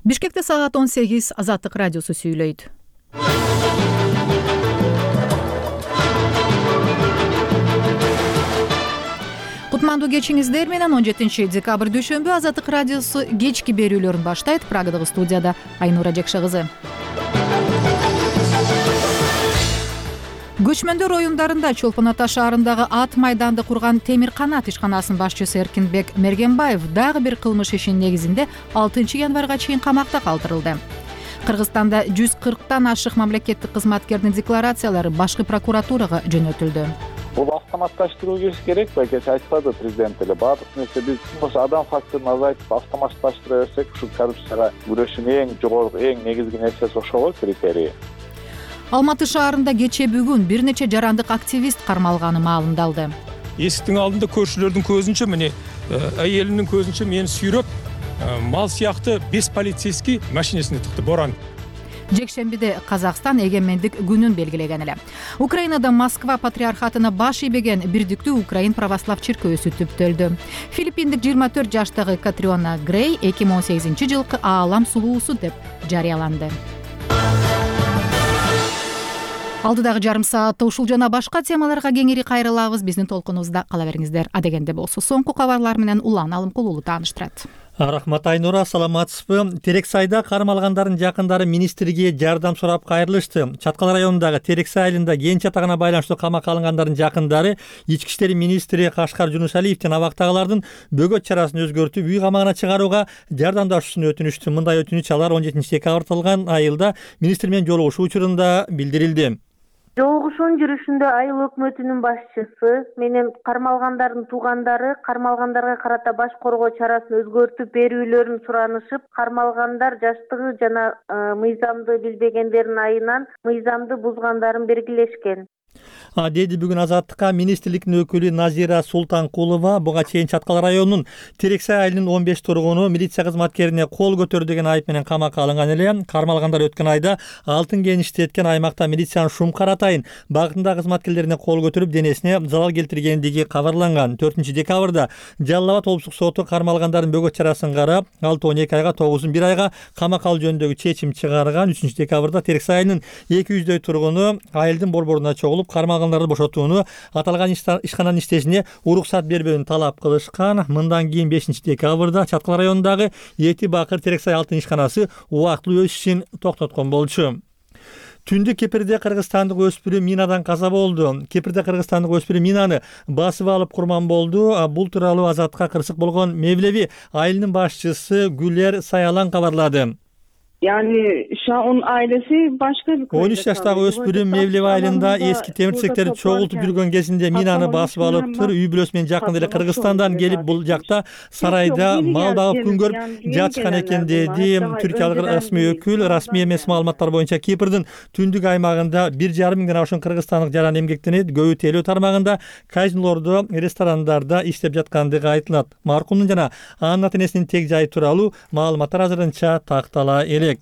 Бишкекте саат 18 Азаттык радиосу сүйлөйт. Кутмандуу кечиңиздер менен 17 декабрь дүйшөмбү Азаттык радиосу кечки берүүлөрүн баштайт. Прагадагы студияда Айнура Жекше кызы. Көчмөндөр оюндарында Чолпон Ата шаарындагы ат майданды курган Темир Канат ишканасынын башчысы Эркинбек Мергенбаев дагы бир кылмыш ишинин негизинде 6 январга чейин камакта калтырылды. Кыргызстанда 140тан ашык мамлекеттик кызматкердин декларациялары башкы прокуратурага жөнөтүлдү. Бул автоматташтыруу керек, байкеч айтпады президент эле. Баардык нерсе биз ошо адам факторун азайтып автоматташтыра берсек, ушу коррупцияга күрөшүүнүн эң жогорку, эң негизги нерсеси ошол критерий. Алматы шаарында кечээ бүгүн бир нече жарандык активист кармалганы маалымдалды. Эсиктин алдында көршүлөрдүн көзүнчө мени айелимдин көзүнчө мени сүйрөп, мал сыяктуу 5 полицейский машинесине тыкты боран. Жекшембиде Казакстан эгемендик күнүн белгилеген эле. Украинада Москва патриархатына баш ийбеген бирдиктүү Украин православ чиркөөсү түптөлдү. Филиппиндик 24 жаштагы Катриона Грей 2018-жылкы аалам сулуусу деп жарыяланды. Алдыдагы жарым саатта ушул жана башка темаларга кеңири кайрылабыз. Биздин толкунубузда кала бериңиздер. Адегенде болсо соңку кабарлар менен Улан Алымкулуулу тааныштырат. Рахмат Айнура, саламатсызбы? Терексайда кармалгандардын жакындары министрге жардам сурап кайрылышты. Чаткал районундагы Терексай айылында кенч атагына байланыштуу камакка алынгандардын жакындары Ички иштер министри Кашкар Жунусалиевдин абактагылардын бөгөт чарасын өзгөртүп үй камагына чыгарууга жардамдашуусун өтүнүштү. Мындай өтүнүч алар 17 декабрда тылган айылда министр менен жолугушуу учурунда билдирилди. Жолугушуунун жүрүшүндө айыл өкмөтүнүн башчысы менен кармалгандардын туугандары кармалгандарга карата баш коргоо чарасын өзгөртүп берүүлөрүн суранышып, кармалгандар жаштыгы жана мыйзамды билбегендердин айынан мыйзамды бузгандарын белгилешкен. Деди бүгүн Азаттыкка министрликтин өкүлү Назира Султанкулова. Буга чейин Чаткал районунун Терексай айылынын 15 тургуну милиция кызматкерине кол көтөрдү деген айып менен камакка алынган эле. Кармалгандар өткөн айда алтын кеништи эткен аймакта милициянын Шумкар атайын багытында кызматкерлерине кол көтөрүп денесине залал келтиргендиги кабарланган. 4 декабрда Жалал Абад облустук соту кармалгандардын бөгөт чарасын карап, 6-12 айга, 9-1 айга камакка алуу жөнүндөгү чечим чыгарган. 3 декабрда Терексай айылынын 200дөй тургуну айылдын борборуна чогулуп кармалгандарды бошотууну, аталган ишкананын иштешине уруксат бербөөнү талап кылышкан. Мындан кийин 5 декабрда Чаткал районундагы Эти Бакыр Терексай алтын ишканасы убактылуу өз ишин токтоткон болчу. Түндүк Кепирде кыргызстандык өспүрүм минадан каза болду. Кепирде кыргызстандык өспүрүм минаны басып алып курман болду. Бул тууралуу Азаттыкка кырсык болгон Мевлеви айылынын башчысы Гүлер Саялан кабарлады. Yani şu an onun ailesi başka bir 13 жаштагы өспүрүм Мевлеви айылында эски темирчектерди чогултуп жүргөн кезинде минаны басып алыптыр. Үй бүлөсү менен жакында эле Кыргызстандан келип бул жакта сарайда мал багып күн көрүп жатышкан экен деди түркиялык расмий өкүл. Расмий эмес маалыматтар боюнча Кипрдин түндүк аймагында 1,5 миңден ашуун кыргызстандык жаран эмгектенет. Көбү тейлөө тармагында, казинолордо, ресторандарда иштеп жаткандыгы айтылат. Маркумдун жана анын ата-энесинин тег жайы тууралуу маалыматтар азырынча тактала элек.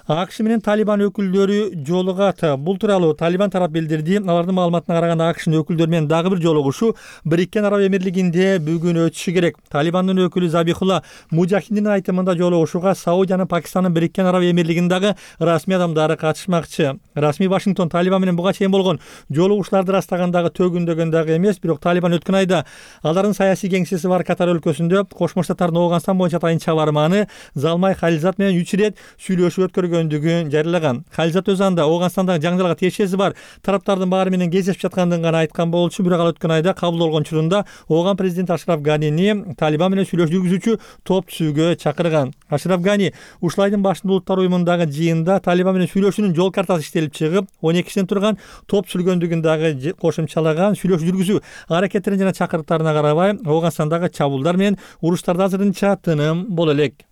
АКШ менен Талибан өкүлдөрү жолугат. Бул тууралуу Талибан тарап билдирди. Алардын маалыматына караганда АКШнын өкүлдөрү менен дагы бир жолугушуу Бириккен Араб Эмирлигинде бүгүн өтүшү керек. Талибандын өкүлү Забихулла Мужахиддин айтымында жолугушууга Саудиянын, Пакистандын, Бириккен Араб Эмирлигиндагы расмий адамдары катышмакчы. Расмий Вашингтон Талибан менен буга чейин болгон жолугушууларды ырастагандагы төгүндөгөн дагы эмес, бирок Талибан өткөн айда алардын саясий кеңсеси бар Катар өлкөсүндө Кошмо Штаттардын Оогунстан боюнча атайын чабарманы Залмай Халилзат менен 3 ирет сүйлөшүп өткөргөндүгүн жарыялаган. Халилзат өз анда Оогунстандагы жаңжалга тиешеси бар тараптардын баары менен кездешип жаткандыгын гана айткан болчу. Бирок ал өткөн айда кабыл болгон учурунда Ооган президент Ашраф Ганини Талибан менен сүйлөшүү жүргүзүүчү топ түзүүгө чакырган. Ашраф Гани ушул айдын башында улуттар уюмундагы жыйында Талибан менен сүйлөшүүнүн жол картасы иштелип чыгып, 12 кишиден турган топ түзүлгөндүгүн дагы кошумчалаган. Сүйлөшүү жүргүзүү аракеттерин жана чакырыктарына карабай, Оогунстандагы чабуулдар менен уруштарда азырынча тыным боло элек.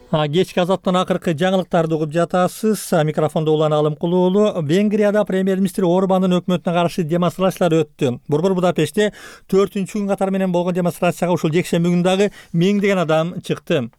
Кечки Азаттан акыркы жаңылыктарды угуп жатасыз. Микрофондо Улан Алымкулуулу. Венгрияда премьер-министр Орбандын өкмөтүнө каршы демонстрациялар өттү. Борбор Будапештте 4-күн катары менен болгон демонстрацияга ушул жекшемби күнү дагы миңдеген адам чыкты.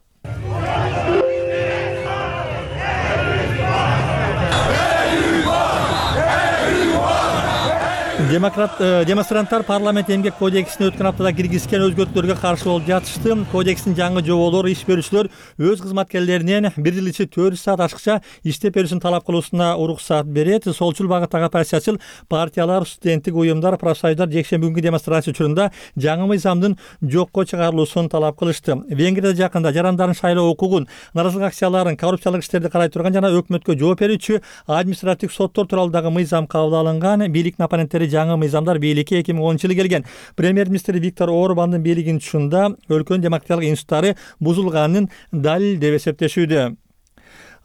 Демонстранттар парламент эмгек кодексине өткөн аптада киргизген өзгөртүүлөргө каршы болуп жатышты. Кодекстин жаңы жоболору иш берүүчүлөр өз кызматкерлеринен 1 жыл ичи 400 саат ашыкча иштеп берүүсүн талап кылуусуна уруксат берет. Солчул багыттагы оппозициячыл партиялар, студенттик уюмдар, профсоюздар жекшемби күнгү демонстрация учурунда жаңы мыйзамдын жокко чыгарылуусун талап кылышты. Венгрияда жакында жарандардын шайлоо укугун, нааразылык акцияларын, коррупциялык иштерди карай турган жана өкмөткө жооп берүүчү административдик соттор тууралуу дагы мыйзам кабыл алынган. Бийликтин оппоненттери жаңы мыйзамдар бийликке 2010-жылы келген премьер-министр Виктор Орбандын бийлигинин учурунда өлкөнүн демократиялык институттары бузулганын далил деп эсептешүүдө.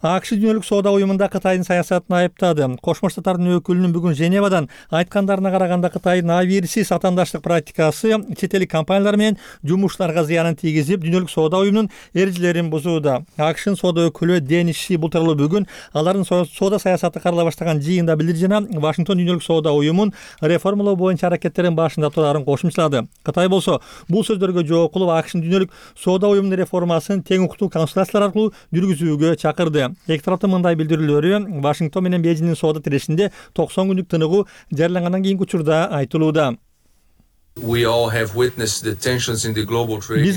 АКШ дүйнөлүк соода уюмунда Кытайдын саясатын айыптады. Кошмо Штаттардын өкүлүнүн бүгүн Женевадан айткандарына караганда Кытайдын абийирсиз атаандаштык практикасы чет элдик компаниялар менен жумушчуларга зыянын тийгизип, дүйнөлүк соода уюмунун эрежелерин бузууда. АКШнын соода өкүлү Денис Ши бул тууралуу бүгүн алардын соода саясаты карала баштаган жыйында билдирди жана Вашингтон дүйнөлүк соода уюмун реформалоо боюнча аракеттерин башында турарын кошумчалады. Кытай болсо бул сөздөргө жооп кылып АКШнын дүйнөлүк соода уюмунун реформасын тең укуктуу консультациялар аркылуу жүргүзүүгө чакырды. Эки тараптын мындай билдирүүлөрү Вашингтон менен Бейжиңдин соода тирешинде 90 күндүк тыныгуу жарыялангандан кийинки учурда айтылууда. Биз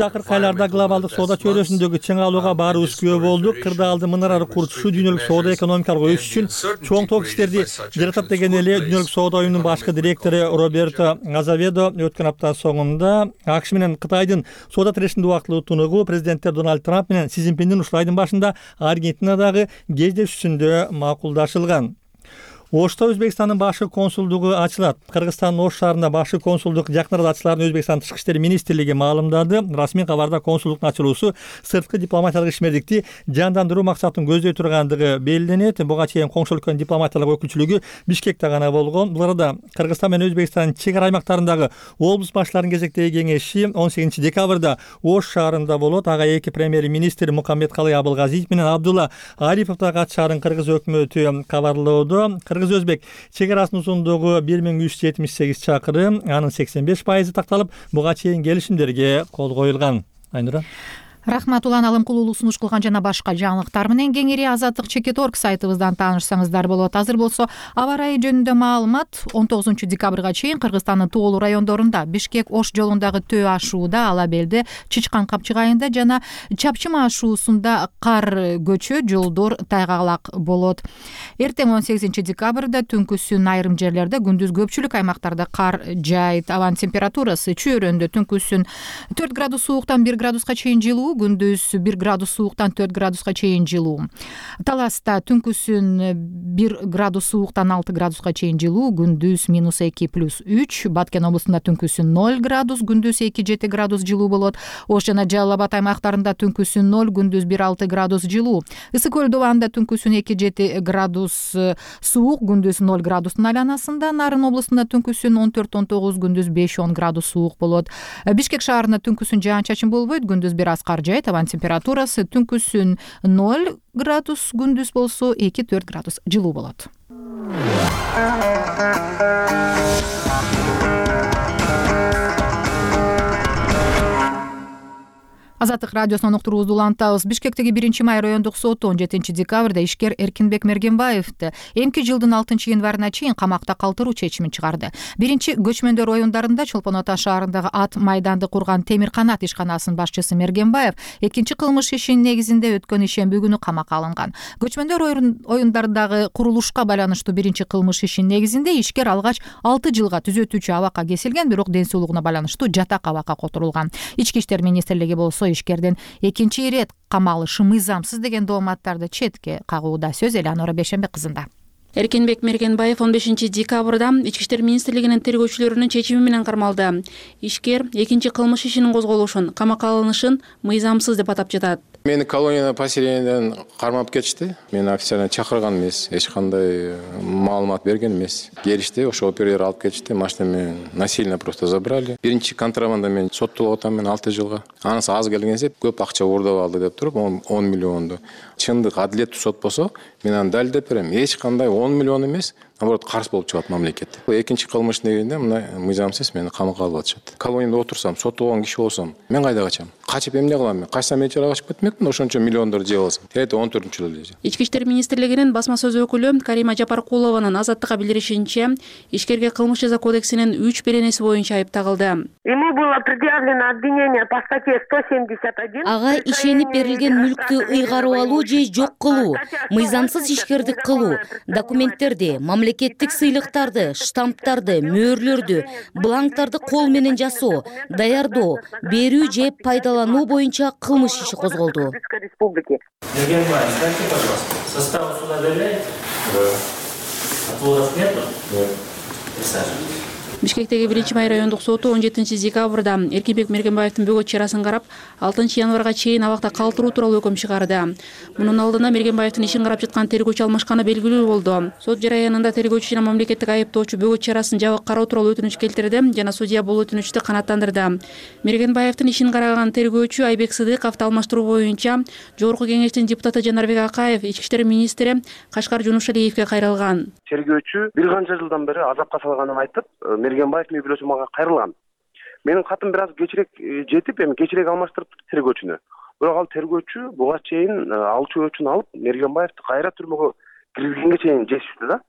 акыркы айларда глобалдык соода чөйрөсүндөгү чыңалууга баарыбыз күбө болдук. Кырдаалды мынарары курчушуу дүйнөлүк соода экономикалык өсүш үчүн чоң топ иштерди жаратат деген эле дүйнөлүк соода уюмунун башкы директору Роберто Азаведо өткөн апта соңунда АКШ менен Кытайдын соода тирешинде убактылуу тыныгуу президенттер Дональд Трамп менен Си Цзиньпиндин ушул айдын башында Аргентинадагы кездешүүсүндө макулдашылган. Ошто Өзбекстандын башкы консулдугу ачылат. Кыргызстандын Ош шаарында башкы консулдук жакын арада ачыларын Өзбекстандын Тышкы иштер министрлиги маалымдады. Расмий кабарда консулдуктун ачылуусу сырткы дипломатиялык ишмердикти жандандыруу максатын көздөй тургандыгы белгиленет. Буга чейин коңшу өлкөнүн дипломатиялык өкүлчүлүгү Бишкекте гана болгон. Бул арада Кыргызстан менен Өзбекстандын чек ара аймактарындагы облус башчыларынын кезектеги кеңеши 18 декабрда Ош шаарында болот. Ага эки премьер-министр Мукаммедкалый Абылгазиев менен Абдулла Арипов да катышарын кыргыз өкмөтү кабарлоодо. Кыргыз-өзбек чек арасынын узундугу 1378 чакырым, анын 85% такталып, буга чейин келишимдерге кол коюлган. Айнура. Рахмат, Улан Алымкулуулу сунуш кылган жана башка жаңылыктар менен кеңири Азаттык.org сайтыбыздан таанышсаңыздар болот. Азыр болсо аба ырайы жөнүндө маалымат. 19 декабрга чейин Кыргызстандын тоолуу райондорунда Бишкек-Ош жолундагы Төө ашууда, Ала Белде, Чычкан Капчык айында жана Чапчыма ашуусунда кар көчө, жолдор тайгалак болот. Эртең 18 декабрда түнкүсүн айрым жерлерде, күндүз көпчүлүк аймактарда кар жаайт. Абанын температурасы чөйрөндө түнкүсүн 4 градус сууктан 1 градуска чейин жылуу, күндүз 1 градус сууктан 4 градуска чейин жылуу. Таласта түнкүсүн 1 градус сууктан 6 градуска чейин жылуу, күндүз -2 + 3. Баткен облусунда түнкүсүн 0 градус, күндүз 2-7 градус жылуу болот. Ош жана Жалал Абад аймактарында түнкүсүн 0, күндүз 1-6 градус жылуу. Ысык көл добанында түнкүсүн 2-7 градус суук, күндүз 0 градустун айланасында. Нарын облусунда түнкүсүн 14-19, күндүз 5-10 градус суук болот. Бишкек шаарында түнкүсүн жаан-чачын болбойт, күндүз 1 аз кар жаайт. Абанын температурасы түнкүсүн 0 градус, күндүз болсо 2-4 градус жылуу болот. Азаттык радиосунан уктуруубузду улантабыз. Бишкектеги 1-май райондук соту 17 декабрда ишкер Эркинбек Мергенбаевди эмки жылдын 6-январына чейин камакта калтыруу чечимин чыгарды. Биринчи көчмөндөр райондарында Чолпон Ата шаарындагы ат майданды курган Темир Канат ишканасынын башчысы Мергенбаев экинчи кылмыш ишинин негизинде өткөн ишемби күнү камакка алынган. Көчмөндөр оюндардагы курулушка байланыштуу биринчи кылмыш ишинин негизинде ишкер алгач 6 жылга түзөтүүчү абакка кесилген, бирок ден соолугуна байланыштуу жатак абакка которулган. Ички иштер министрлиги болсо ишкердин экинчи ирет камалышы мыйзамсыз деген дооматтарды четке кагууда. Сөз Элеонора Бейшенбек кызында. Эркинбек Мергенбаев 15 декабрда Ички иштер министрлигинин тергөөчүлөрүнүн чечими менен кармалды. Ишкер экинчи кылмыш ишинин козголушун, камакка алынышын мыйзамсыз деп атап жатат. Мени колонияда поселениеден кармап кетишти. Мени официально чакырган эмес, эч кандай маалымат берген эмес. Келишти, ошо оператор алып кетишти, машина менен насильно просто забрали. Биринчи контрабанда мен соттолуп атам, мен 6 жылга. Анысы аз келгенсе көп акча уурдап алды деп туруп 10 миллионду. Чындык адилеттүү сот болсо, мен аны далилдеп берем. Эч кандай 10 миллион эмес, наоборот карыз болуп чыгат мамлекет. Экинчи кылмыш негизинде мына мыйзамсыз мени камакка алып атышат. Колонияда отурсам, соттолгон киши болсом, мен кайда качам? Качып эмне кылам мен? Качсам мен чыгып качып кетмекмин, ошончо миллиондор жеп алсам. Тегерде 14-жылы эле. Ички иштер министрлигинин басма сөз өкүлү Карима Жапаркулованын Азаттыкка билдиришинче, ишкерге кылмыш жаза кодексинин 3 беренеси боюнча айып тагылды. Ему было предъявлено обвинение по статье 171. Ага ишенип берилген мүлктү ыйгарып алуу же жок кылуу, мыйзамсыз ишкердик кылуу, документтерди, мамлекеттик сыйлыктарды, штамптарды, мөөрлөрдү, бланктарды кол менен жасоо, даярдоо, берүү же пайдалануу боюнча кылмыш иши козголду. Мергенбаев, скажите, пожалуйста, состав суда доверяете? Да. Отводов нету? Нет. Присаживайтесь. Бишкектеги 1-Май райондук соту 17-декабрда Эркинбек Мергенбаевдин бөгөт чарасын карап, 6-январга чейин абакта калтыруу тууралуу өкүм чыгарды. Мунун алдында Мергенбаевдин ишин карап жаткан тергөөчү алмашканы белгилүү болду. Сот жараянында тергөөчү жана мамлекеттик айыптоочу бөгөт чарасын жабык кароо тууралуу өтүнүч келтирди жана судья бул өтүнүчтү канааттандырды. Мергенбаевдин ишин караган тергөөчү Айбек Сыдыковду алмаштыруу боюнча Жогорку кеңештин депутаты Жанарбек Акаев ички иштер министри Кашкар Жунушалиевге кайрылган. Тергөөчү бир канча жылдан бери азапка салганын айтып, Мергенбаев үй бүлөсү мага кайрылган. Менин катым бир аз кечирээк жетип, эми кечирээк алмаштырып тергөөчүнү. Бирок ал тергөөчү буга чейин алчу өчүн алып, Мергенбаевди кайра түрмөгө киргизгенге чейин жетишти да.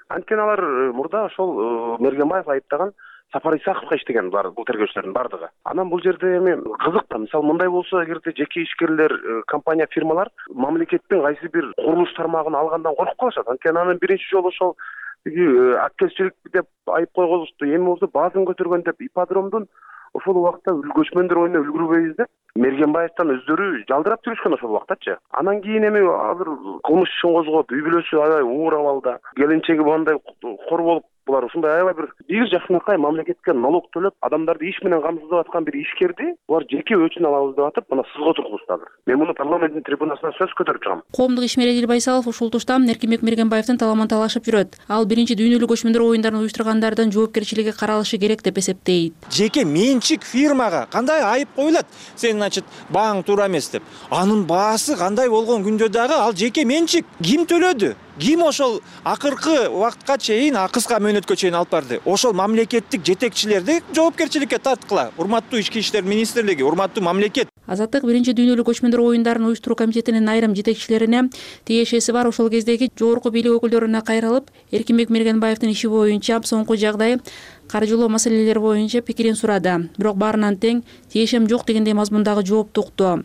Анткени алар мурда ошол Мергенбаев айыптаган Сапар Исаковго иштеген бул тергөөчүлөрдүн бардыгы. Анан бул жерде эми кызык да, мисалы мындай болсо, эгерде жеке ишкерлер, компания, фирмалар мамлекеттин кайсы бир курулуш тармагын алгандан коркуп калышат. Анткени анын биринчи жолу ошол аккезчилик деп айып койгузушту. Эми болсо баазын көтөргөн деп ипподромдун ошол убакта көчмөндөр оюна үлгүрбөйбүз деп Мергенбаевден өздөрү жалдырап жүрүшкөн ошол убактачы. Анан кийин эми азыр кылмыш ишин козгоп, үй бүлөсү аябай уур абалда, келинчеги мындай кор болуп, булар ушундай аябай бир жакшынакай мамлекетке налог төлөп, адамдарды иш менен камсыздап аткан бир ишкерди булар жеке өчүн алабыз деп атып, мына сызга тургузду азыр. Мен муну парламенттин трибунасына сөз көтөрүп чыгам. Коомдук ишмер Эдил Байсалов ушул тушта Эркинбек Мергенбаевдин таламын талашып жүрөт. Ал биринчи дүйнөлүк көчмөндөр оюндарын уюштургандардын жоопкерчилиги каралышы керек деп эсептейт. Жеке менчик фирмага кандай айып коюлат? Сен, значит, бааң туура эмес деп. Анын баасы кандай болгон күндө дагы ал жеке менчик. Ким төлөдү? Ким ошол акыркы убакытка чейин, кыска мөөнөткө чейин алып барды? Ошол мамлекеттик жетекчилерди жоопкерчиликке тарткыла. Урматтуу ички иштер министрлиги, урматтуу мамлекет. Азаттык биринчи дүйнөлүк көчмөндөр оюндарын уюштуруу комитетинин айрым жетекчилерине тиешеси бар ошол кездеги жогорку бийлик өкүлдөрүнө кайрылып, Эркинбек Мергенбаевдин иши боюнча соңку жагдай, каржылоо маселелери боюнча пикирин сурады. Бирок баарынан тең тиешем жок дегендей мазмундагы жоопту укту.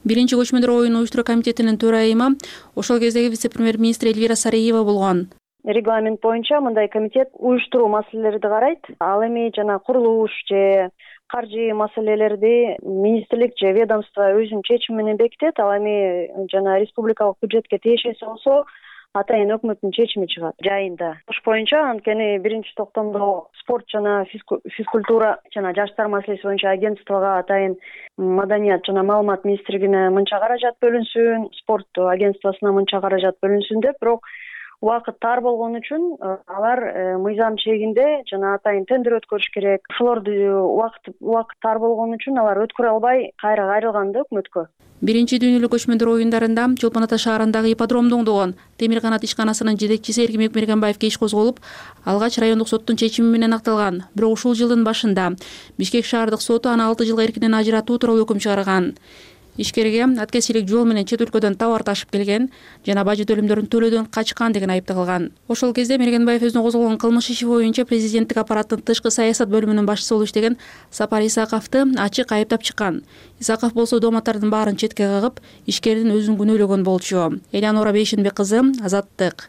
Биринчи көчмөндөр оюн уюштуруу комитетинин төрайымы ошол кездеги вице-премьер-министр Эльвира Сариева болгон. Регламент боюнча мындай комитет уюштуруу маселелерди карайт. Ал эми жана курулуш же каржы маселелерди министрлик же ведомство өзүнүн чечими менен бекитет. Ал эми жана республикалык бюджетке тиешеси болсо атайын өкмөттүн чечими чыгат жайында. Ош боюнча анткени биринчи токтомдо спорт жана физкультура жана жаштар маселеси боюнча агентствого атайын маданият жана маалымат министрлигине мынча каражат бөлүнсүн, спорт агентствосуна мынча каражат бөлүнсүн деп, бирок убакыт тар болгон үчүн алар мыйзам чегинде жана атайын тендер өткөрүш керек. Ошолорду убакыт тар болгон үчүн алар өткөрө албай кайра кайрылган да өкмөткө. Биринчи дүйнөлүк көчмөндөр оюндарында Чолпон Ата шаарындагы ипподромду оңдогон Темир канат ишканасынын жетекчиси Эркинбек Мергенбаевге иш козголуп, алгач райондук соттун чечими менен акталган. Бирок ушул жылдын башында Бишкек шаардык соту аны 6 жылга эркинен ажыратуу тууралуу өкүм чыгарган. Ишкерге аткезчилик жол менен чет өлкөдөн товар ташып келген жана бажы төлөмдөрүн төлөөдөн качкан деген айып тагылган. Ошол кезде Мергенбаев өзүнө козголгон кылмыш иши боюнча президенттик аппараттын тышкы саясат бөлүмүнүн башчысы болуп иштеген Сапар Исаковду ачык айыптап чыккан. Исаков болсо дооматтардын баарын четке кагып, ишкердин өзүн күнөөлөгөн болчу. Элянора Бейшенбек кызы, Азаттык.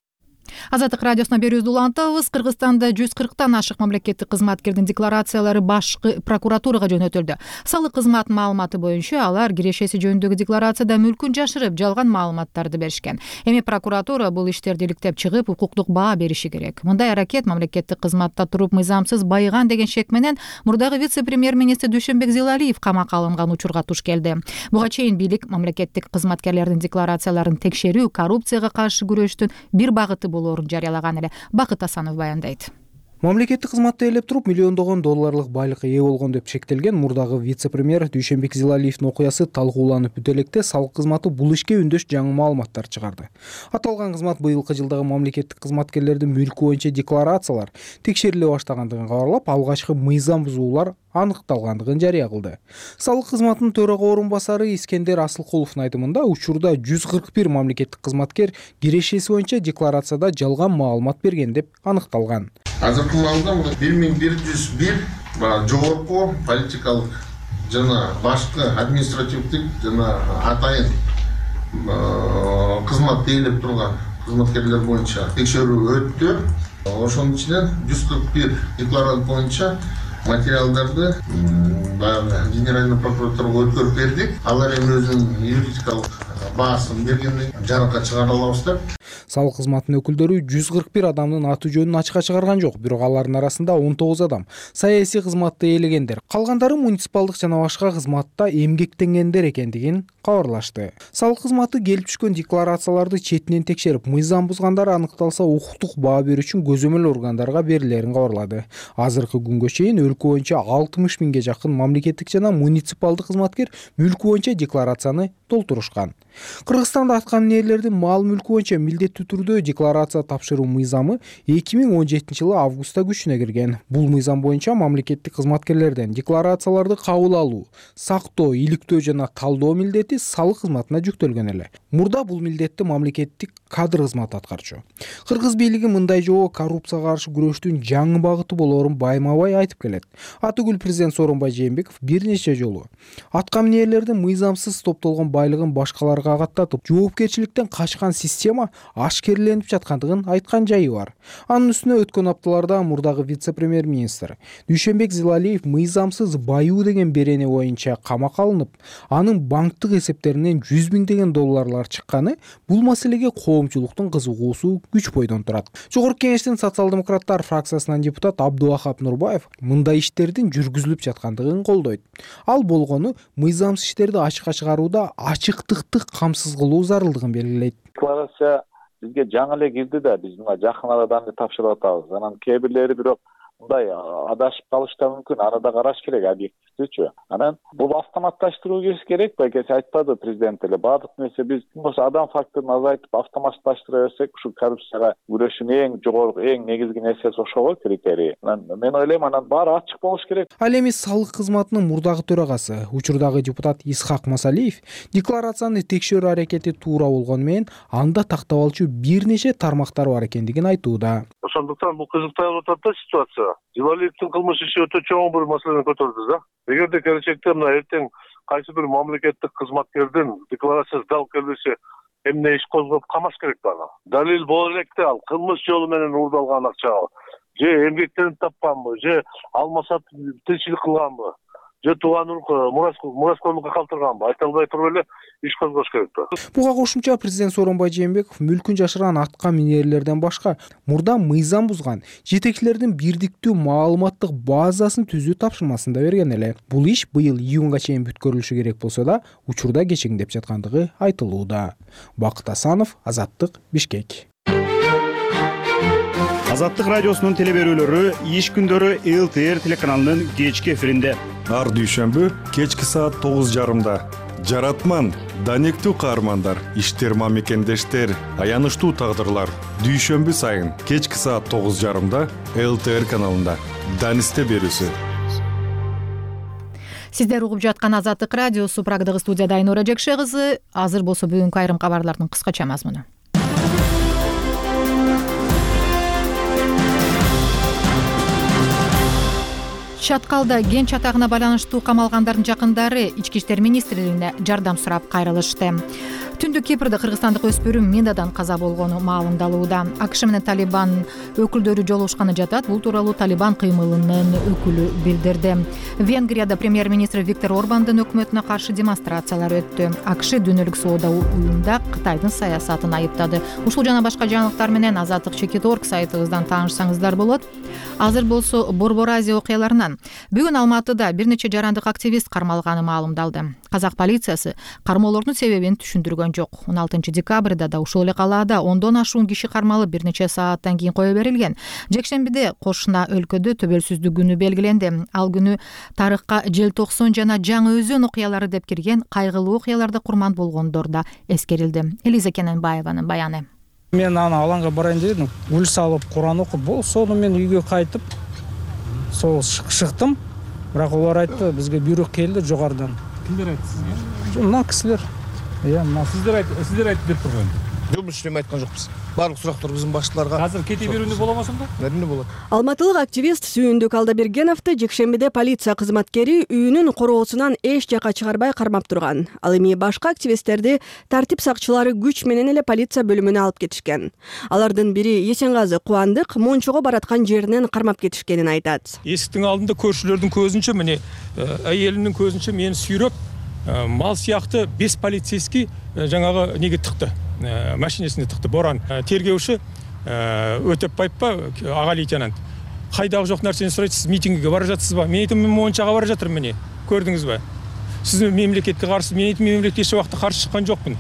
Азаттык радиосуна берүүбүздү улантабыз. Кыргызстанда 140тан ашык мамлекеттик кызматкердин декларациялары башкы прокуратурага жөнөтүлдү. Салык кызматынын маалыматы боюнча алар кирешеси жөнүндөгү декларацияда мүлкүн жашырып, жалган маалыматтарды беришкен. Эми прокуратура бул иштерди иликтеп чыгып, укуктук баа бериши керек. Мындай аракет мамлекеттик кызматта туруп мыйзамсыз байыган деген шек менен мурдагы вице-премьер-министр Дүйшөнбек Зилалиев камакка алынган учурга туш келди. Буга чейин бийлик мамлекеттик кызматкерлердин декларацияларын текшерүү коррупцияга каршы күрөштүн бир багыты болоорун жарыялаган эле. Бакыт Асанов баяндайт. Мамлекеттик кызматты ээлеп туруп миллиондогон долларлык байлыкка ээ болгон деп шектелген мурдагы вице-премьер Дүйшөнбек Зилалиевдин окуясы талкууланып бүтө электе салык кызматы бул ишке үндөш жаңы маалыматтар чыгарды. Аталган кызмат быйылкы жылдагы мамлекеттик кызматкерлердин мүлкү боюнча декларациялар текшериле баштагандыгын кабарлап, алгачкы мыйзам бузуулар аныкталгандыгын жарыя кылды. Салык кызматынын төрага орун басары Искендер Асылкуловдун айтымында учурда 141 мамлекеттик кызматкер кирешеси боюнча декларацияда жалган маалымат берген деп аныкталган. Азыркы маалда 1101 жогорку политикалык жана башкы административдик жана атайын кызматты ээлеп турган кызматкерлер боюнча текшерүү өттү. Ошонун ичинен 141 декларант боюнча материалдарды Генеральный прокуратурага өткөрүп бердик. Алар эми өзүнүн юридикалык баасын бергенден жарыкка чыгара алабыз деп. Салык кызматынын өкүлдөрү 141 адамдын аты жөнүн ачыкка чыгарган жок, бирок алардын арасында 19 адам саясий кызматты ээлегендер, калгандары муниципалдык жана башка кызматта эмгектенгендер экендигин кабарлашты. Салык кызматы келип түшкөн декларацияларды четинен текшерип, мыйзам бузгандар аныкталса укуктук баа берүү үчүн көзөмөл органдарга берилерин кабарлады. Азыркы күнгө чейин өлкө боюнча 60 миңге жакын мамлекеттик жана муниципалдык кызматкер мүлкү боюнча декларацияны толтурушкан. Кыргызстанда аткан ээлердин мал мүлкү боюнча милдеттүү түрдө декларация тапшыруу мыйзамы 2017 жылы августта күчүнө кирген. Бул мыйзам боюнча мамлекеттик кызматкерлерден декларацияларды кабыл алуу, сактоо, иликтөө жана талдоо милдети салык кызматына жүктөлгөн эле. Мурда бул милдетти мамлекеттик кадр кызматы аткарчу. Кыргыз бийлиги мындай жобо коррупцияга каршы күрөштүн жаңы багыты болоорун байма-бай айтып келет. Атыгүл президент Сооронбай Жээнбеков бир нече жолу аткан ээлердин мыйзамсыз топтолгон байлыгын башкаларга каттатып, жоопкерчиликтен качкан система ашкереленип жаткандыгын айткан жайы бар. Анын үстүнө өткөн апталарда мурдагы вице-премьер-министр Дүйшөнбек Зилалиев мыйзамсыз баюу деген берене боюнча камакка алынып, анын банктык эсептеринен 100 миңдеген долларлар чыкканы бул маселеге коомчулуктун кызыгуусу күч бойдон турат. Жогорку кеңештин социал-демократтар фракциясынан депутат Абдувахап Нурбаев мындай иштердин жүргүзүлүп жаткандыгын колдойт. Ал болгону мыйзамсыз иштерди ачыкка чыгарууда ачыктыкты камсыз кылуу зарылдыгын белгилейт. Декларация бизге жаңы эле кирди да, биз мына жакын арада тапшырып атабыз. Анан кээ бирлери бирок мындай адашып калышы да мүмкүн, аны да караш керек объективдүүчү. Анан бул автоматташтыруу керек байкеси айтпады президент эле. Баардык нерсе биз болсо адам факторун азайтып автоматташтыра берсек, ушу коррупцияга күрөшүүнүн эң жогорку, эң негизги нерсеси ошол го критерий. Мен ойлойм, анан баары ачык болуш керек. Ал эми салык кызматынын мурдагы төрагасы, учурдагы депутат Исхак Масалиев декларацияны текшерүү аракети туура болгону менен анда тактап алчу бир нече тармактар бар экендигин айтууда. Ошондуктан бул кызыктап атат да ситуация. Зилалиевдин кылмыш иши өтө чоң бир маселени көтөрдү да. Эгерде келечекте мына эртең кайсы бир мамлекеттик кызматкердин декларациясы дал келбесе, эмне иш козгоп камаш керек да аны. Далил боло электе ал кылмыш жолу менен уурдалган акча, же эмгектенип тапканбы, же алмаса тынччылык кылганбы, же тууган мураскөмүккө калтырганбы, айта албай туруп эле иш козгош керек да. Буга кошумча президент Сооронбай Жээнбеков мүлкүн жашырган атка минерлерден башка мурда мыйзам бузган жетекчилердин бирдиктүү маалыматтык базасын түзүү тапшырмасын да берген эле. Бул иш быйыл июнга чейин бүткөрүлүшү керек болсо да, учурда кечеңдеп жаткандыгы айтылууда. Бакыт Асанов, Азаттык, Бишкек. Азаттык радиосунун телеберүүлөрү иш күндөрү ЛТР телеканалынын кечки эфиринде. Ар дүйшөмбү кечки саат 9:30. Жаратман, данектүү каармандар, иштерма мекендештер, аянычтуу тагдырлар. Дүйшөмбү сайын кечки саат 9:30 ЛТР каналында. Данисте берүүсү. Сиздер угуп жаткан Азаттык радиосу, Прагдагы студияда Айнура Жекше кызы. Азыр болсо бүгүнкү айрым кабарлардын кыскача мазмуну. Чаткалда кен чатагына байланыштуу камалгандардын жакындары Ички иштер министрлигине жардам сурап кайрылышты. Түндүк Кипрде кыргызстандык өспүрүм минадан каза болгону маалымдалууда. АКШ менен Талибан өкүлдөрү жолугушканы жатат. Бул тууралуу Талибан кыймылынын өкүлү билдирди. Венгрияда премьер-министр Виктор Орбандын өкмөтүнө каршы демонстрациялар өттү. АКШ дүйнөлүк соода уюмда Кытайдын саясатын айыптады. Ушул жана башка жаңылыктар менен Азаттык.org сайтыбыздан таанышсаңыздар болот. Азыр болсо Борбор Азия окуяларынан. Бүгүн Алматыда бир нече жарандык активист кармалганы маалымдалды. Казак полициясы кармоолордун себебин түшүндүргөн. көргөн жок. 16 декабрда да ушул эле калаада 10дон ашуун киши кармалып бир нече сааттан кийин кое берилген. Жекшембиде кошуна өлкөдө төбөлсүздүк күнү белгиленди. Ал күнү тарыхка желтоксон жана жаңы өзөн окуялары деп кирген кайгылуу окуяларда курман болгондор да эскерилди. Элиза Кененбаеванын баяны. Мен аны алаңга барайын дедим, гүл салып, Куран окуп, болсо мен үйгө кайтып, сол шыктым. Бирок олар айтты, бизге буйрук келди жогорудан. Кимдер айтты сизге? Мына кисилер. Сиздер айтып берип турган. Жок, биз эме айткан жокпуз. Барлык сурактар биздин башчыларга. Азыр кете берүүнү болобу ошондо? Әрине болот. Алматылык активист Сүйүндүк Алдабергеновду жекшембиде полиция кызматкери үйүнүн короосунан эч жака чыгарбай кармап турган. Ал эми башка активисттерди тартип сакчылары күч менен эле полиция бөлүмүнө алып кетишкен. Алардын бири Есенгазы Кубандык Мончого бараткан жеринен кармап кетишкенин айтат. Эсиктин алдында көршүлөрдүн көзүнчө мени айелинин көзүнчө мени сүйрөп мал сыяктуу 5 полицейский жаңагы неге тыкты. Машинесине тыкты. Боран тергөөчү Өтөпбаев ага лейтенант. Кайдагы жок нерсени сурайт, сиз митингге бара жатсызбы? Мен айтам, мен Мончага бара жатырмын, мени. Көрдүңүзбү? Сиз мемлекетке каршы, мен айтам, мемлекетке эч убакта каршы чыккан жокмун.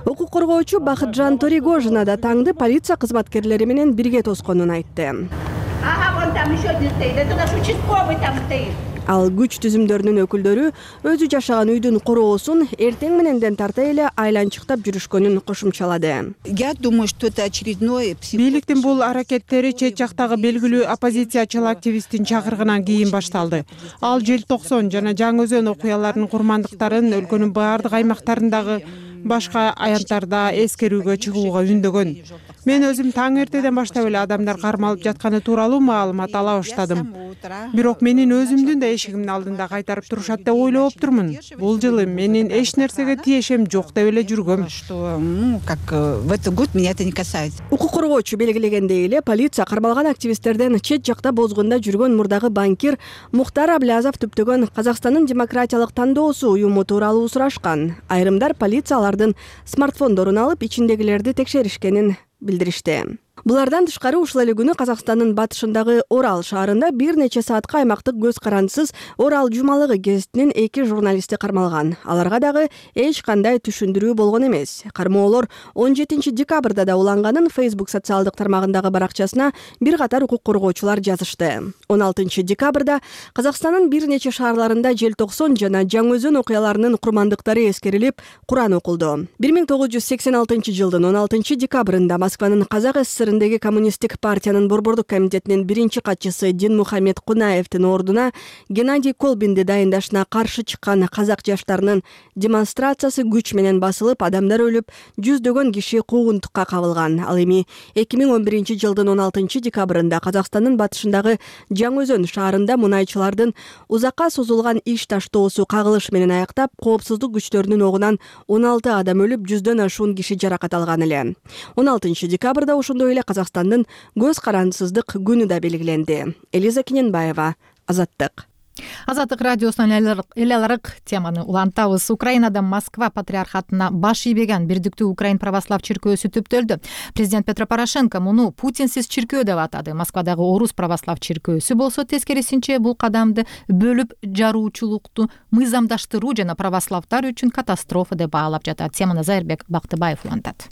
Укук коргоочу Бакытжан Торигожина да таңды полиция кызматкерлери менен бирге тосконун айтты. Вон там еще один стоит, это наш участковый там стоит. Ал күч түзүмдөрүнүн өкүлдөрү өзү жашаган үйдүн короосун эртең мененден тарта эле айланчыктап жүрүшкөнүн кошумчалады. Я думаю, что это очередное. Бийликтин бул аракеттери чет жактагы белгилүү оппозициячыл активисттин чакырыгынан кийин башталды. Ал желтоксон жана жаңы өзөн окуяларынын курмандыктарын өлкөнүн баардык аймактарындагы башка аянттарда эскерүүгө чыгууга үндөгөн. Мен өзүм таң эртеден баштап эле адамдар кармалып жатканы тууралуу маалымат ала баштадым. Бирок менин өзүмдүн да эшигимдин алдында кайтарып турушат деп ойлоп турмун. Бул жылы менин эч нерсеге тиешем жок деп эле жүргөм. Как в этот год меня это не касается. Укук коргоочу белгилегендей эле полиция кармалган активисттерден чет жакта бозгунда жүргөн мурдагы банкир Мухтар Аблязов түптөгөн Казакстандын демократиялык тандоосу уюму тууралуу сурашкан. Айрымдар полиция алардын смартфондорун алып ичиндегилерди текшеришкенин билдиришти. Булардан тышкары ушул эле күнү Казакстандын батышындагы Орал шаарында бир нече саатка аймактык көз карандысыз Орал жумалыгы гезитинин 2 журналисти кармалган. Аларга дагы эч кандай түшүндүрүү болгон эмес. Кармоолор 17 декабрда да уланганын Facebook социалдык тармагындагы баракчасына бир катар укук коргоочулар жазышты. 16 декабрда Казакстандын бир нече шаарларында желтоксон жана жаңы өзөн окуяларынын курмандыктары эскерилип, Куран окулду. 1986 жылдын 16 декабрында Москванын Казак ССРиндеги коммунисттик партиянын борбордук комитетинин биринчи катчысы Динмухамед Кунаевдин ордуна Геннадий Колбинди дайындашына каршы чыккан казак жаштарынын демонстрациясы күч менен басылып, адамдар өлүп, жүздөгөн киши куугунтукка кабылган. Ал эми 2011 жылдын 16 декабрында Казакстандын батышындагы Жаңы Өзөн шаарында мунайчылардын узакка созулган иш таштоосу кагылыш менен аяктап, коопсуздук күчтөрүнүн огунан 16 адам өлүп, 100дөн ашуун киши жаракат алган эле. 16 декабрда ошондой эле Казакстандын көз карандысыздык күнү да белгиленди. Элиза Кененбаева, Азаттык. Азаттык радиосунун эл аларык теманы улантабыз. Украинада Москва патриархатына баш ийбеген Бирдиктүү Украин православ чиркөөсү түптөлдү. Президент Петро Порошенко муну Путинсиз чиркөө деп атады. Москвадагы Орус православ чиркөөсү болсо тескерисинче бул кадамды бөлүп жаруучулукту мыйзамдаштыруу жана православдар үчүн катастрофа деп баалап жатат. Теманы Зайырбек Бактыбаев улантат.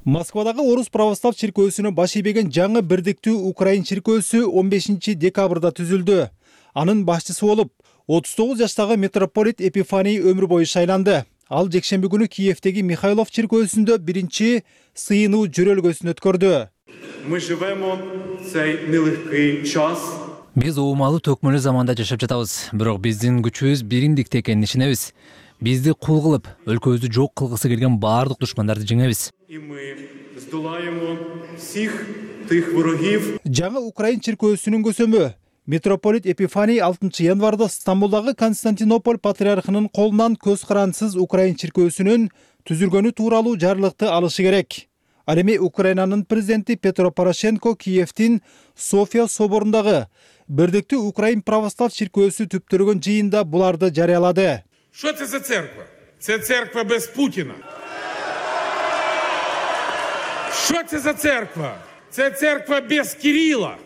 Москвадагы Орус православ чиркөөсүнө баш ийбеген жаңы Бирдиктүү Украин чиркөөсү 15 декабрда түзүлдү. Анын башчысы болуп 39 жаштагы митрополит Епифаний өмүр бою шайланды. Ал жекшемби күнү Киевдеги Михайлов чиркөөсүндө биринчи сыйынуу жөрөлгөсүн өткөрдү. Мы живемо цей нелегкий час. Биз оомалуу төкмөлүү заманда жашап жатабыз, бирок биздин күчүбүз биримдикте экенин ишенебиз. Бизди кул кылып, өлкөбүздү жок кылгысы келген баардык душмандарды жеңебиз. И мы здолаємо всіх тих ворогів. Жаңы Украин чиркөөсүнүн көсөмү митрополит Епифаний 6 январда Стамбулдагы Константинополь патриархынын колунан көз карандысыз Украин чиркөөсүнүн түзүлгөнү тууралуу жарлыкты алышы керек. Ал эми Украинанын президенти Петро Порошенко Киевдин София соборундагы Бирдиктүү Украин православ чиркөөсү түптөлгөн жыйында буларды жарыялады. Що це за церква? Це церква без Путіна. Що це за церква? Це церква без Кирила.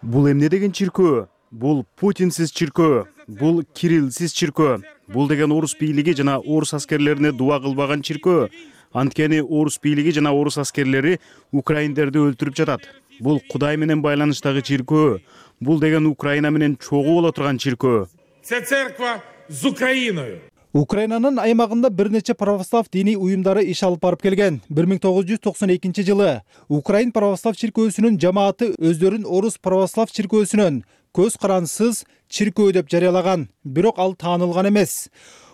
Бул эмне деген чиркөө? Бул Путинсиз чиркөө, бул Кириллсиз чиркөө. Бул деген орус бийлиги жана орус аскерлерине дуа кылбаган чиркөө. Анткени орус бийлиги жана орус аскерлери украиндерди өлтүрүп жатат. Бул Кудай менен байланыштагы чиркөө. Бул деген Украина менен чогуу боло турган чиркөө. Це церква з Україною. Украинанын аймагында бир нече православ диний уюмдары иш алып барып келген. 1992 жылы Украин православ чиркөөсүнүн жамааты өздөрүн орус православ чиркөөсүнөн көз карансыз чиркөө деп жарыялаган, бирок ал таанылган эмес.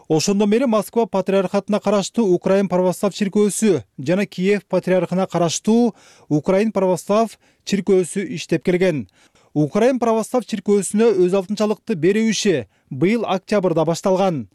Ошондон бери Москва патриархатына караштуу Украин православ чиркөөсү жана Киев патриархына караштуу Украин православ чиркөөсү иштеп келген. Украин православ чиркөөсүнө өз алтынчалыкты берүү иши быйыл октябрда башталган.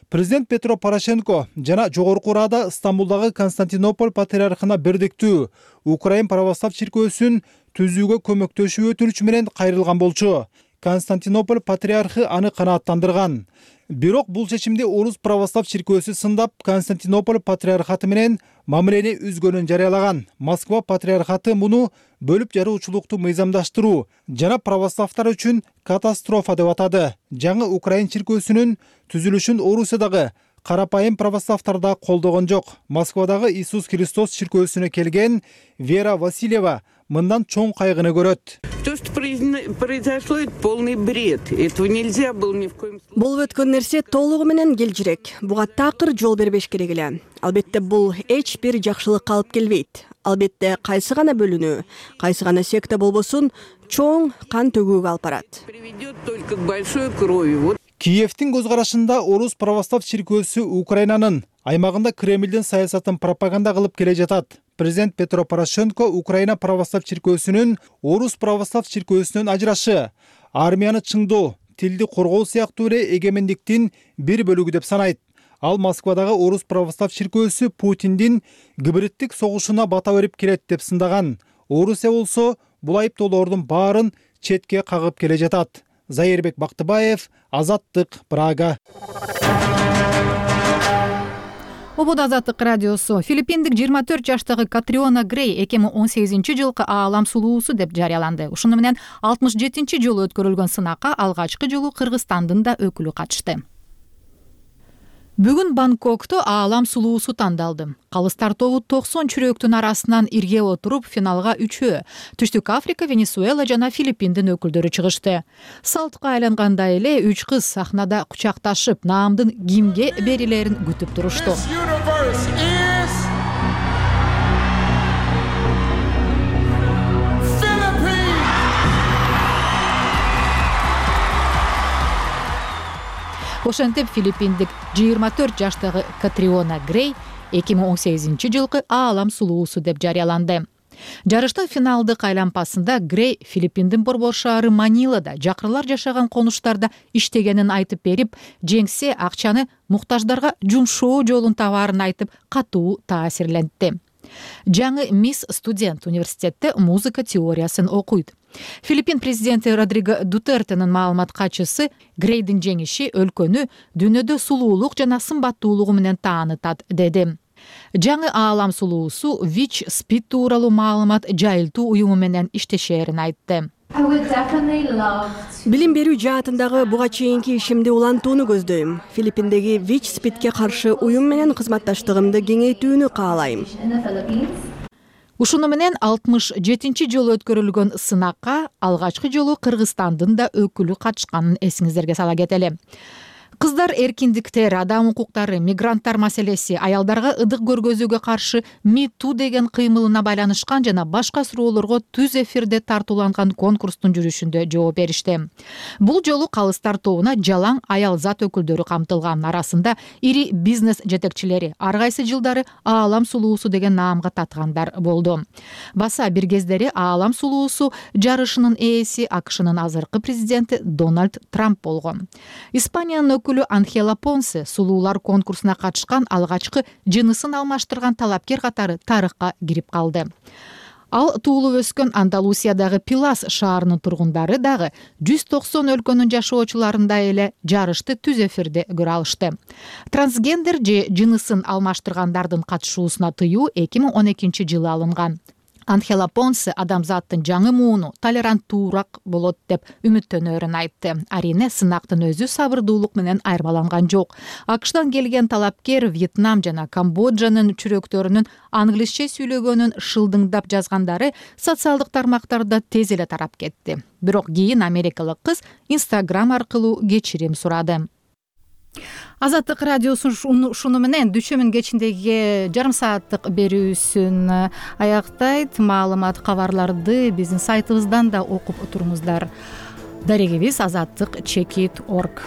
Президент Петро Порошенко жана Жогорку Рада Стамбулдагы Константинополь патриархына бирдиктүү Украин православ чиркөөсүн түзүүгө көмөктөшүп өтүнүчү менен кайрылган болчу. Константинополь патриархы аны канааттандырган. Бирок бул чечимди орус православ чиркөөсү сындап, Константинополь патриархаты менен мамилени үзгөнүн жарыялаган. Москва патриархаты муну бөлүп жаруучулукту мыйзамдаштыруу жана православдар үчүн катастрофа деп атады. Жаңы Украин чиркөөсүнүн түзүлүшүн Орусиядагы карапайым православдар да колдогон жок. Москвадагы Иисус Христос чиркөөсүнө келген Вера Васильева мындан чоң кайгыны көрөт. То, что произошло, это полный бред. Этого нельзя было ни в коем случае. Болуп өткөн нерсе толугу менен келжирек. Буга такыр жол бербеш керек эле. Албетте бул эч бир жакшылыкка алып келбейт. Албетте кайсы гана бөлүнүү, кайсы гана секта болбосун чоң кан төгүүгө алып барат. Приведет только к большой крови. Киевтин көз карашында орус православ чиркөөсү Украинанын аймагында Кремлдин саясатын пропаганда кылып келе жатат. Президент Петро Порошенко Украина православ чиркөөсүнүн орус православ чиркөөсүнөн ажырашы, армияны чыңдоо, тилди коргоо сыяктуу эле эгемендиктин бир бөлүгү деп санайт. Ал Москвадагы орус православ чиркөөсү Путиндин гибриддик согушуна бата берип келет деп сындаган. Орусия болсо бул айыптоолордун баарын четке кагып келе жатат. Зайырбек Бактыбаев, Азаттык, Прага. Обод Азаттык радиосу. Филиппиндик 24 жаштагы Катриона Грей 2018 жылкы аалам сулуусу деп жарыяланды. Ушуну менен 67 жолу өткөрүлгөн сынакка алгачкы жолу Кыргызстандын да өкүлү катышты. Бүгүн Бангкокто аалам сулуусу тандалды. Калыстар тобу 90 чүрөктүн арасынан ирге отуруп, финалга 3-өө Түштүк Африка, Венесуэла жана Филиппиндин өкүлдөрү чыгышты. Салтка айлангандай эле 3 кыз сахнада кучакташып, наамдын кимге берилерин күтүп турушту. Ошентип Филиппиндик 24 жаштагы Катриона Грей 2018 жылкы аалам сулуусу деп жарыяланды. Жарыштын финалдык айлампасында Грей Филиппиндин борбор шаары Манилада жакырлар жашаган конуштарда иштегенин айтып берип, жеңсе акчаны муктаждарга жумшоо жолун табаарын айтып, катуу таасирлентти. Жаңы мисс студент университетте музыка теориясын окуйт. Филиппин президенти Родриго Дутертенин маалымат катчысы Грейдин жеңиши өлкөнү дүйнөдө сулуулук жана сымбаттуулугу менен таанытат деди. Жаңы аалам сулуусу ВИЧ СПИД тууралуу маалымат жайылтуу уюму менен иштешерин айтты. Билим берүү жаатындагы буга чейинки ишимди улантууну көздөйм. Филиппиндеги ВИЧ СПИДке каршы уюм менен кызматташтыгымды кеңейтүүнү каалайм. Ушуну менен 67 жолу өткөрүлгөн сынакка алгачкы жолу Кыргызстандын да өкүлү катышканын эсиңиздерге сала кетели. Кыздар эркиндиктер, адам укуктары, мигранттар маселеси, аялдарга ыдык көргөзүүгө каршы МИТУ деген кыймылына байланышкан жана башка суроолорго түз эфирде тартууланган конкурстун жүрүшүндө жооп беришти. Бул жолу калыстар тобуна жалаң аял зат өкүлдөрү камтылган, арасында ири бизнес жетекчилери, ар кайсы жылдары аалам сулуусу деген наамга таткандар болду. Баса бир кездери аалам сулуусу жарышынын ээси АКШнын азыркы президенти Дональд Трамп болгон. Испаниянын өкүлү Анхела Понсе сулуулар конкурсуна катышкан алгачкы жынысын алмаштырган талапкер катары тарыхка кирип калды. Ал туулуп өскөн Андалусиядагы Пилас шаарынын тургундары дагы 190 өлкөнүн жашоочуларындай эле жарышты түз эфирде көрө алышты. Трансгендер же жынысын алмаштыргандардын катышуусуна тыюу 2012 жылы алынган. Анхела Понсе адамзаттын жаңы мууну толеранттуураак болот деп үмүттөнөрүн айтты. Арине сынактын өзү сабырдуулук менен айырмаланган жок. АКШтан келген талапкер Вьетнам жана Камбоджанын чүрөктөрүнүн англисче сүйлөгөнүн шылдыңдап жазгандары социалдык тармактарда тез эле тарап кетти. Бирок кийин америкалык кыз Instagram аркылуу кечирим сурады. Азаттык радиосу ушуну менен дүйшөмүн кечиндеги жарым сааттык берүүсүн аяктайт. Маалымат кабарларды биздин сайтыбыздан да окуп туруңуздар. Дарегибиз azatlyk.org